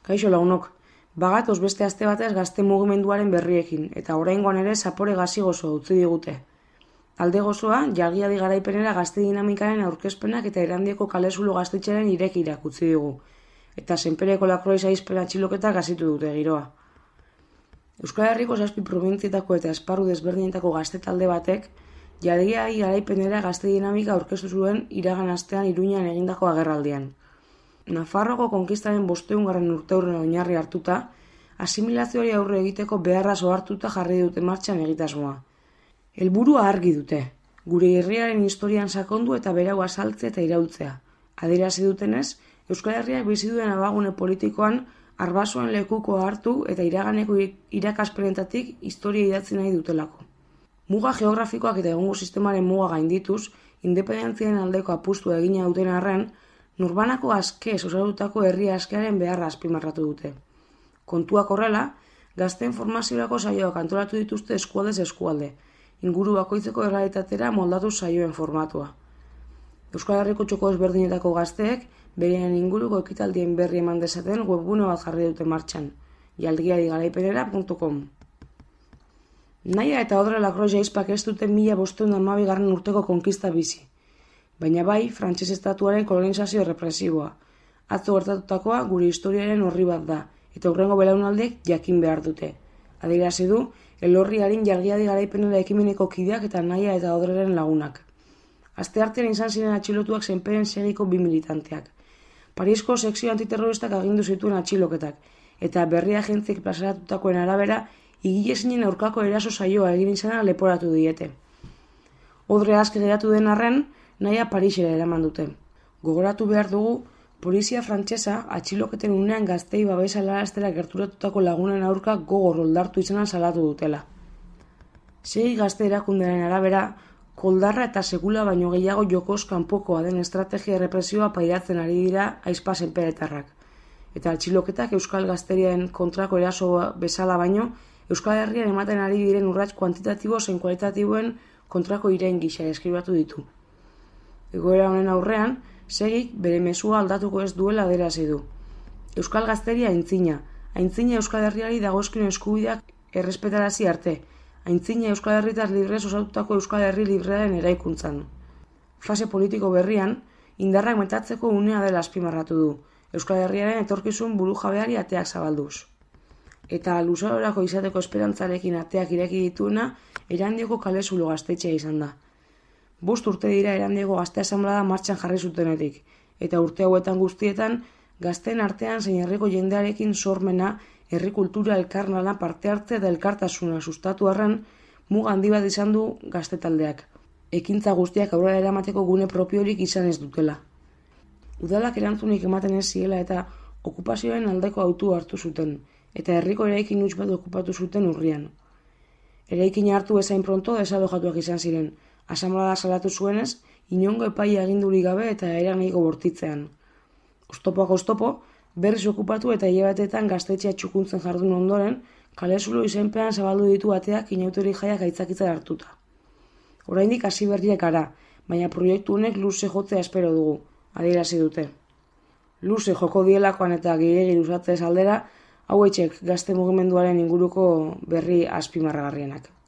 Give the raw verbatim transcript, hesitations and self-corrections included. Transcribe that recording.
Kaixo lagunok, bagatoz beste aste batez gazte mugimenduaren berriekin, eta oraingoan ere zapore gazi gozo utzi digute. Alde gozoa, jalgiadi garaipenera gazte dinamikaren aurkezpenak eta Erandioko kalezulo gaztetxearen irekirak utzi digu, eta Senpereko Lakroiz aizpen atxiloketak gazitu dute giroa. Euskal Herriko zazpi probintzietako eta esparru desberdinetako gazte talde batek, jalgiadi garaipenera gazte dinamika aurkeztu zuen iragan astean Iruñan egindako agerraldian. Nafarroako konkistaren bosteungarren urteurren oinarri hartuta, asimilazioari aurre egiteko beharra ohartuta jarri dute martxan egitasmoa. Helburua argi dute, gure herriaren historian sakondu eta berau azaltzea eta iraultzea. Adierazi dutenez, Euskal Herriak bizi duen abagune politikoan arbasoen lekuko hartu eta iraganeko irakaspenetatik historia idatzi nahi dutelako. Muga geografikoak eta egungo sistemaren muga gaindituz, independentziaren aldeko apustua egina duten arren, Nurbanako askez osatutako herri askearen beharra azpimarratu dute. Kontuak horrela, gazteen formaziorako saioak antolatu dituzte eskualdez eskualde, inguru bakoitzeko errealitatera moldatu saioen formatua. Euskal Herriko txoko ezberdinetako gazteek beren inguruko ekitaldien berri eman dezaten webgune bat jarri dute martxan, jalgiadigaraipenera puntu com. Naia eta Odre Lakroiz aizpak ez dute mila bostehun eta hamabigarren urteko konkista bizi, baina bai frantses estatuaren kolonizazio represiboa. Atzo gertatutakoa gure historiaren orri bat da, eta hurrengo belaunaldiek jakin behar dute. Adierazi du, elorriarin jalgiadi garaipenera ekimeneko kideak eta Naia eta Odreren lagunak. Asteartean izan ziren atxilotuak Senperen segiko bi militanteak. Parisko sekzio antiterroristak agindu zituen atxiloketak, eta berri agentziek plazaratutakoen arabera, igilezinen aurkako eraso saioa egin izana leporatu diete. Odre aske geratu den arren, Naia Parisera eraman dute. Gogoratu behar dugu, polizia frantsesa atxiloketen unean gaztei babesa laraztera gerturatutako lagunen aurka gogor oldartu izana salatu dutela. Segi gazte erakundearen arabera, koldarra eta sekula baino gehiago jokoz kanpokoa den estrategia errepresioa pairatzen ari dira aizpa senperetarrak. Eta atxiloketak euskal gazteriaren kontrako eraso bezala baino, Euskal Herrian ematen ari diren urrats kuantitatibo zein kualitatiboen kontrako irain gisa eskribatu ditu. Egoera honen aurrean, segik bere mezua aldatuko ez duela adierazi du. Euskal gazteria aintzina, aintzina Euskal Herriari dagozkion eskubideak errespetarazi arte, aintzina Euskal Herritar librez osatutako Euskal Herri librearen eraikuntzan. Fase politiko berrian, indarrak metatzeko unea dela azpimarratu du, Euskal Herriaren etorkizun burujabeari ateak zabalduz. Eta luzarorako izateko esperantzarekin ateak ireki dituena, Erandioko kalezulo gaztetxea izan da. Bost urte dira Erandioko gazte asanblada martxan jarri zutenetik, eta urte hauetan guztietan, gazteen artean zein herriko jendearekin sormena, herri kultura elkarlana parte hartze eta elkartasuna sustatu arren, muga handi bat izan du gazte taldeak. Ekintza guztiak aurrera eramateko gune propiorik izan ez dutela. Udalak erantzunik ematen ez ziela eta okupazioaren aldeko autua hartu zuten, eta herriko eraikin huts bat okupatu zuten urrian. Eraikina hartu bezain pronto desalojatuak izan ziren, asanblada salatu zuenez, inongo epaia agindurik gabe eta eranahiko bortitzean. Oztopoak oztopo, berriz okupatu eta hilabeteetan gaztetxea txukuntzen jardun ondoren, kalezulo izenpean zabaldu ditu ateak inauterik jaiak aitzakitzara hartuta. Oraindik hasi berriak gara, baina proiektu honek luze jotzea espero dugu, adierazi dute. Luze joko dielakoan eta gehiegi luzatzez aldera, hauetxek gazte mugimenduaren inguruko berri azpimarragarrienak.